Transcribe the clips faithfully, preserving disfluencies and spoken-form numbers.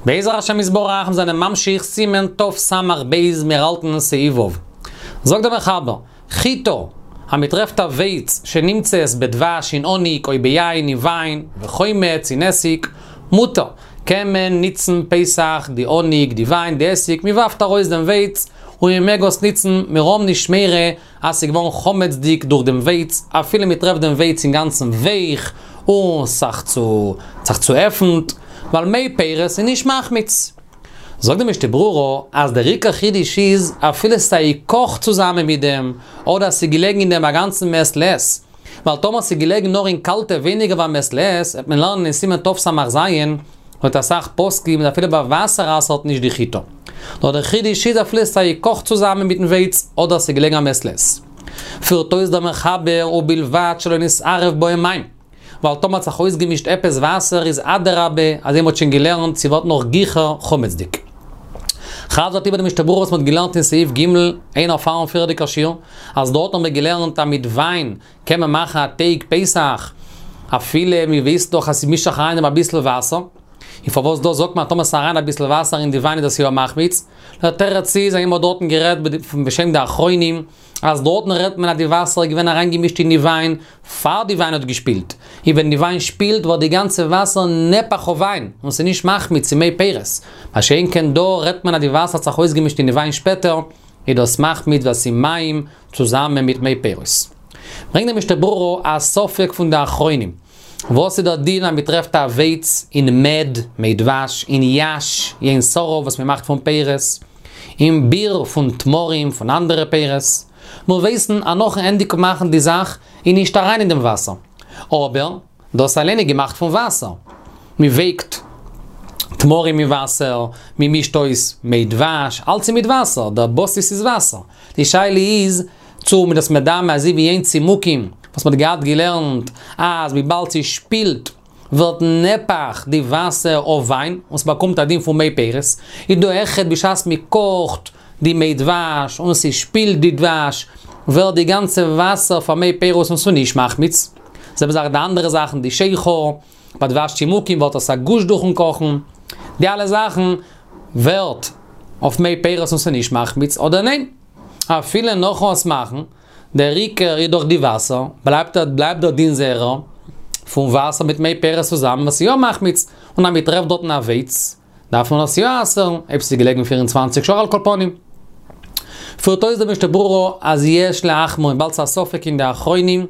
בעזר השם יתברך מיר זענען ממשיך סימן תס"ב מיר האלטן סעיף ו'. זאגט דער מחבר, חיטה, אז מען טרעפט א ווייץ שנמצאת בדבש אין האניג או ביין אין וויין וחומץ אין עסיג, מותר, קען מען ניצן פסח די האניג די וויין די עסיג, מען ווארפט ארויס דעם ווייץ און מען מעג עס ניצן, מיר האבן נישט מורא אז ס'איז געווארן חמצ'דיג דורך דעם ווייץ, אפילו מען טרעפט דעם ווייץ אינגאנצן ווייך און ס'זיך צו זיך צועפנט, ווייל מי פירות איז נישט מחמיץ. זאגט די משנה ברורה אז דער עיקר חידוש איז אפילו ס'איז געקאכט צוזאמען מיט דעם, אדער ס'איז געלעגן אין דעם א גאנצן מעת לעת, ווייל טאמער ס'איז געלעגן נאר אין קאלטע ווייניגער ווי א מעת לעת, וועט מען לערנען אין סימן תס"ז, לויט אסאך פוסקים איז אפילו ביי וואסער אסר'ט נישט די חיטה. נאר דער חידוש איז אפילו ס'איז געקאכט צוזאמען מיטן ווייץ אדער ס'איז געלעגן א מעת לעת. פירט אויס דער מחבר ובלבד שלא נתערב בהם מים. ווייל טאמער האט זיך אויסגעמישט עפעס וואסער איז אדרבה, אזוי מ'האט שוין געלערנט, ס'ווערט נאך גיכער חמצ'דיג. חזר'ט איבער די משנה ברורה וואס מ'האט געלערנט אין סעיף ג', איינער פארן פריערדיגער שיעור, אז דארט האבן מיר געלערנט אז מיט וויין קען מען מאכן א טייג פסח, אפילו מ'ווייסט דאך אז ס'מישט זיך אריין אביסל וואסער. און פארוואס דא זאגט מען אז טאמער ס'איז אריין אביסל וואסער אין די וויין איז דאס יא מחמיץ? דער תירוץ איז אז מ'האט דארטן גערעדט בשם די אחרונים, אז דארטן רעדט מען אז די וואסער איז געווען אריינגעמישט אין די וויין פאר די וויין האט געשפילט, און ווען די וויין שפילט ווערט די גאנצע וואסער נהפך אויף וויין, און ס'איז נישט מחמיץ ס'איז מי פירות. מה שאין כן דא רעדט מען אז די וואסער האט זיך אויסגעמישט אין די וויין שפעטער, איז דאס מחמיץ ווייל ס'איז מים צוזאמען מיט מי פירות. ברענגט די משנה ברורה א ספק פון די אחרונים. וואס איז דער דין אז מ'טרעפט א ווייץ אין מעד, מי דבש, אין יי"ש, יין שרף וואס מ'מאכט פון פירות, אין ביר פון תמרים, פון אנדערע פירות. מיר ווייסן אז נאכן ענדיגן מאכן די זאך איז נישט אריין אין דעם וואסער. אבער, דאס אליין איז געמאכט פון וואסער. מ'ווייקט תמרים אין וואסער, מ'מישט אויס מי דבש, אלץ איז מיט וואסער, דער בסיס איז וואסער. די שאלה איז צו מ'איז דאס מדמה אזוי ווי יין צימוקים וואס מ'האט געהאט געלערנט אז וויבאלד ס'שפילט ווערט נהפך די וואסער אויף וויין און ס'באקומט א דין פון מי פירות, איז דא אויכעט בשעת מ'קאכט די מי דבש און ס'שפילט די דבש ווערט די גאנצע וואסער פאר מי פירות און ס'נישט מחמיץ. זעלבע זאך די אנדערע זאכן די שכר, ביי דבש צימוקים ווערט עס א גוש דורכן קאכן, די אלע זאכן ווערט אויף מי פירות און ס'נישט מחמיץ אדער ניין? אפילו נאכן עס מאכן, דער עיקר איז דאך די וואסער, בלייבט בלייבט דער דין זייערער פון וואסער מיט מי פירות צוזאמען וואס איז יא מחמיץ, און אז מ'טרעפט דארטן א ווייץ, דארף מען עס יא אסר'ן, אויב ס'איז געלעגן פֿיר און צוואַנציק שעה על כל פנים. פירט אויס דער משנה ברורה אז יש להחמיר וויבאלד ס'איז א ספק אין די אחרונים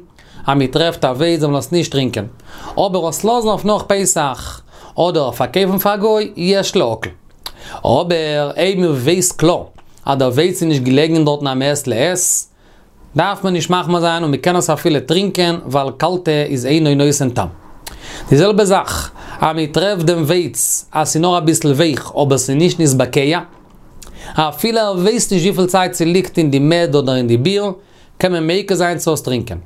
אז מ'טרעפט א ווייץ זאל מען עס נישט טרינקען. אבער עס לאזן אויף נאך פסח אדער פארקויפן פאר א גוי יש להקל. אבער אויב מ'ווייסט קלאר אז דער ווייץ איז נישט געלעגן דארטן א מעת לעת, דארף מען נישט מחמיר זיין און מ'קען עס אפילו טרינקען ווייל קאלטע איז אינו נותן טעם. די זעלבע זאך אז מ'טרעפט דעם ווייץ אז ס'איז נאר אביסל ווייך אבער ס'איז נישט נתבקע, אפילו ער ווייסט נישט וויפיל צייט ס'ליגט אין די מעד אדער אין די ביר, קען מען מיקל זיין צו עס טרינקען.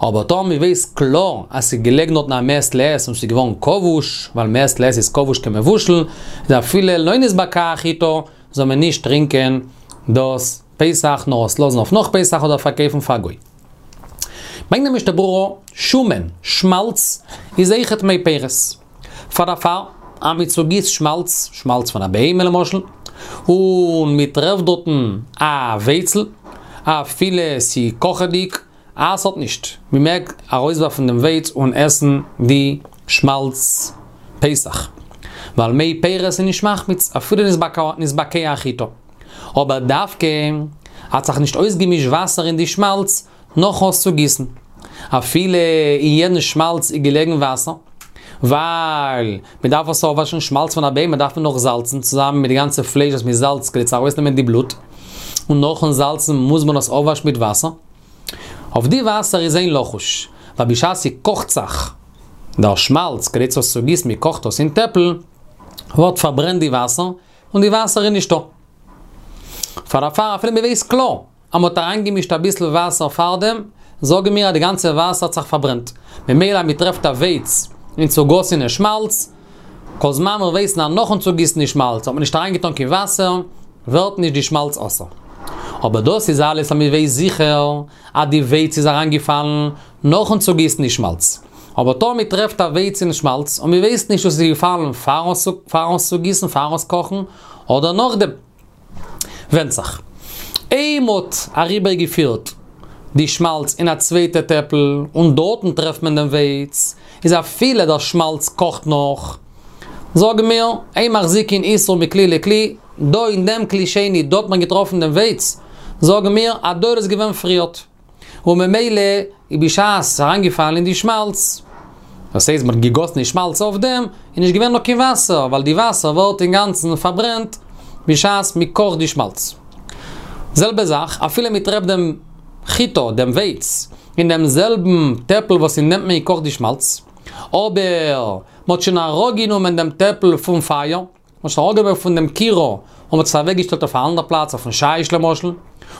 אבער טאמער מ'ווייסט קלאר אז ס'איז געלעגן דארטן א מעת לעת און ס'איז געווארן כבוש, ווייל מעת לעת איז כבוש כמבושל, איז אפילו לא נתבקעה החיטה, זאל מען נישט טרינקען דאס פסח נאר עס לאזן אויף נאך פסח אדער פארקויפן פאר גוי. ברענגט די משנה ברורה, שומן, שמאלץ, איז אויכעט מי פירות. פאר דערפאר, אז מען צוגיסט שמאלץ, שמאלץ פון א בהמה למשל, און מען טרעפט דארטן א ווייצל, אפילו ס'איז קאכעדיג, אסר'ט נישט, מען מעג ארויסווארפן דעם ווייץ און עסן די שמאלץ פסח, ווייל מי פירות איז נישט מחמיץ, אפילו נתבקעה החיטה. אבער דווקא האט זיך נישט אויסגעמישט וואסער אין די שמאלץ נאכן עס צוגיסן. אפילו אין יעדן שמאלץ איז געלעגן וואסער, ווייל מען דארף עס אפוואשן, שמאלץ פון א בהמה דארף מען נאך זאלצן צוזאמען מיט די גאנצע פלייש וואס מען זאלצט כדי צו ארויסנעמען די בלוט, און נאכן זאלצן מוז מען עס אפוואשן מיט וואסער. אויף די וואסער איז אין לחוש, ווייל בשעת ס'קאכט זיך דער שמאלץ כדי צו עס צוגיסן, מען קאכט עס אין טעפל, ווערט פארברענט די וואסער, און די וואסער איז נישטא. פאר דערפאר אפילו מען ווייסט קלאר אז מען האט אריינגעמישט אביסל וואסער פארדעם, זאגן מיר אז די גאנצע וואסער האט זיך פארברענט. ממילא אז מען טרעפט א ווייץ אין צוגאסענע שמאלץ, כל זמן מיר ווייסן אז נאכן צוגיסן די שמאלץ האט מען נישט אריינגעטאן קיין וואסער, ווערט נישט די שמאלץ אסור. אבער דאס איז אלעס אז מען ווייסט זיכער אז די ווייץ איז אריינגעפאלן נאכן צוגיסן די שמאלץ. אבער טאמער מ'טרעפט א ווייץ אין שמאלץ, און מ'ווייסט נישט צו ס'איז געפאלן פאר פארן עס צו גיסן, פארן עס קאכן, אדער נאכדעם. ווענדט זיך. אויב מ'האט אריבערגעפירט די שמאלץ אין א צווייטע טעפל, און דארטן טרעפט מען דעם ווייץ, איז אפילו דער שמאלץ קאכט נאך, זאגן מיר, אין מחזיקין איסור מכלי לכלי, דא אין דעם כלי שני, דא האט מען געטראפן דעם ווייץ, זאגן מיר, אז דא איז עס געווען פריערט. און ממילא, איז בשעת ס'איז אריינגעפאלן אין די שמאלץ, דאס הייסט מ'האט געגאסן די שמאלץ אויף דעם, איז נישט געווען נאך קיין וואסער, ווייל די וואסער ווערט אינגאנצן פארברענט בשעת מ'קאכט די שמאלץ. זעלבע זאך, אפילו מ'טרעפט דעם חיטה, דעם ווייץ, אין דעם זעלבן טעפל וואס אין דעם האט מען געקאכט די שמאלץ, אבער מ'האט שוין אראפגענומען דעם טעפל פון פייער, מ'האט שוין אראפגענומען פון דעם כירה, און מ'האט עס אוועקגעשטעלט אויף א אנדער פלאץ, אויפן שיש למשל,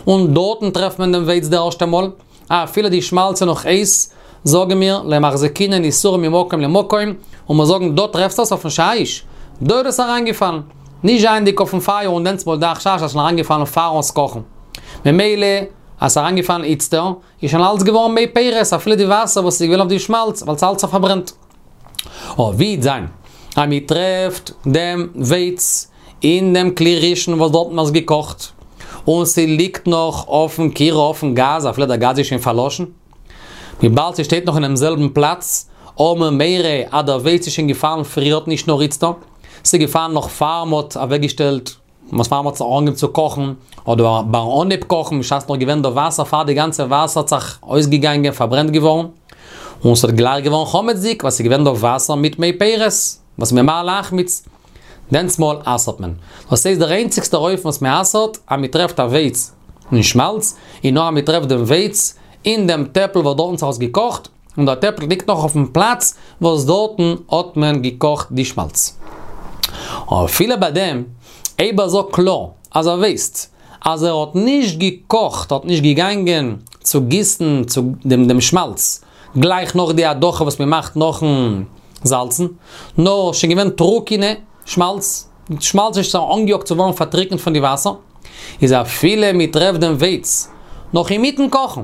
און דארטן טרעפט מען דעם ווייץ די ערשטע מאל, אפילו די שמאלץ איז נאך הייס, זאגן מיר, לא מחזיקינן איסורא ממקום למקום, און מיר זאגן דא טרעפסט עס אויפן שיש, דא איז עס אריינגעפאלן, נישט זייענדיג אויפן פייער און דענסטמאל דער חשש אז ס'איז אריינגעפאלן פארן עס קאכן. ממילא אז ס'איז אריינגעפאלן איצטער, איז שוין אלץ געווארן מי פירות, אפילו די וואסער וואס איז געווען אויף די שמאלץ, ווייל ס'איז אלץ פארברענט. אבער ווי וועט זיין אז מ'טרעפט דעם ווייץ אין דעם כלי ראשון וואס דארט האט מען עס געקאכט, און ס'ליגט נאך אויפן כירה אויפן גאז אפילו דער גאז איז שוין פארלאשן, וויבאלד ס'שטייט נאך אינעם זעלבן פלאץ, האבן מיר מורא אז דער ווייץ איז שוין געפאלן פריערט נישט נאר איצטער, ס'איז געפאלן נאך פאר מ'האט אוועקגעשטעלט, וואס פאר מ'האט זיך אנגעהויבן צו קאכן, אדער ביים אנהייב קאכן בשעת נאך געווען דא וואסער פאר די גאנצע וואסער האט זיך אויסגעגאנגען פארברענט געווארן, און ס'האט גלייך געווארן חמצ'דיג ווייל ס'איז געווען דא וואסער מיט מי פירות, וואס ממהר להחמיץ. דענסטמאל אסר'ט מען. דאס הייסט דער איינציגסטער אופן וואס מ'אסר'ט אז מ'טרעפט א ווייץ אין שמאלץ, איז נאר אז מ'טרעפט דעם ווייץ אין דעם טעפל וואס דארטן האט זיך עס געקאכט, און דער טעפל ליגט נאך אויפן פלאץ וואס דארטן האט מען געקאכט די שמאלץ. אפילו ביי דעם, אויב ער זאגט קלאר אז ער ווייסט אז ער האט נישט געקאכט, האט נישט געגאנגען צו גיסן צו דעם דעם שמאלץ גלייך נאך די הדחה וואס מען מאכט נאכן זאלצן, נאר שוין געווען טרוקענע שמאלץ, שמאלץ איז שוין אנגעיאגט צו ווערן פארטריקנט פון די וואסער, איז אפילו מען טרעפט דעם ווייץ נאך אינמיטן קאכן,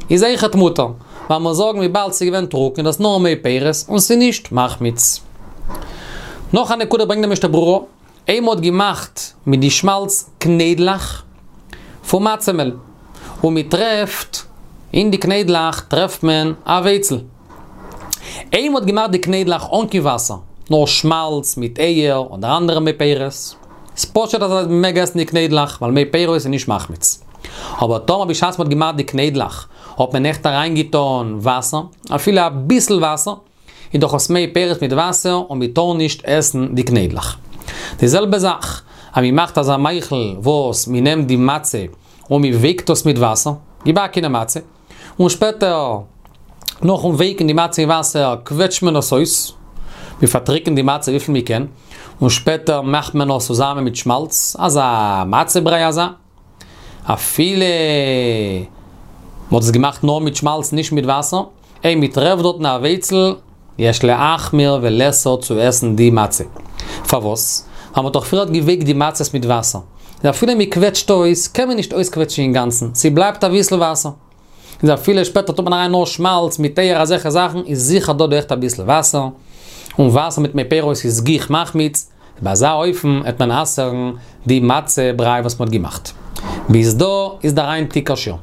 איז אויכעט מותר, ווייל מיר זאגן וויבאלד ס'איז געווען טרוקן איז דאס נאר מי פירות און ס'איז נישט מחמיץ. נאך א נקודה ברענגט דער משנה ברורה, אויב מ'האט געמאכט מיט די שמאלץ קניידלעך פון מצה מעל, און מ'טרעפט אין די קניידלעך טרעפט מען א ווייצל. אויב מ'האט געמאכט די קניידלעך אן קיין וואסער, נאר שמאלץ מיט אייער אדער אנדערע מי פירות, איז פשוט אז מ'מעג עסן די קניידלעך ווייל מי פירות איז נישט מחמיץ. אבער טאמער בשעת מ'האט געמאכט די קניידלעך האט מען עכט אריינגעטון וואסער, אפילו אביסל וואסער, איז דאך עס מי פירות מיט וואסער און מ'טאר נישט עסן די קניידלעך. די זעלבע זאך אז מ'מאכט אזא מאכל וואס מ'נעמט די מצה און מ'ווייקט עס מיט וואסער, געבאקענע מצה, און שפעטער נאכן ווייקן די מצה אין וואסער קוועטשט מען עס אויס, מ'פארטריקנט די מצה וויפיל מ'קען, און שפעטער מאכט מען עס צוזאמען מיט שמאלץ, אזא מצה בריי אזא. אפילו מ'האט עס געמאכט נאר מיט שמאלץ נישט מיט וואסער, אויב מ'טרעפט דארטן א ווייצל, יש להחמיר ולאסור צו עסן די מצה. פארוואס? ווייל מ'האט דאך פריערט געווייקט די מצות מיט וואסער. איז אפילו מ'קוועטשט אויס, קען מען נישט אויסקוועטשן אינגאנצן, ס'בלייבט אביסל וואסער. איז אפילו שפעטער טוט מען אריין נאר שמאלץ מיט אייער אזעלכע זאכן, איז זיכער דא דא עכט אביסל וואסער, און וואסער מיט מי פירות איז גיך מחמיץ, ביי אזא אופן העט מען אסר'ן די מצה בריי וואס מ'האט געמאכט. ביז דא איז דער היינטיגער שיעור.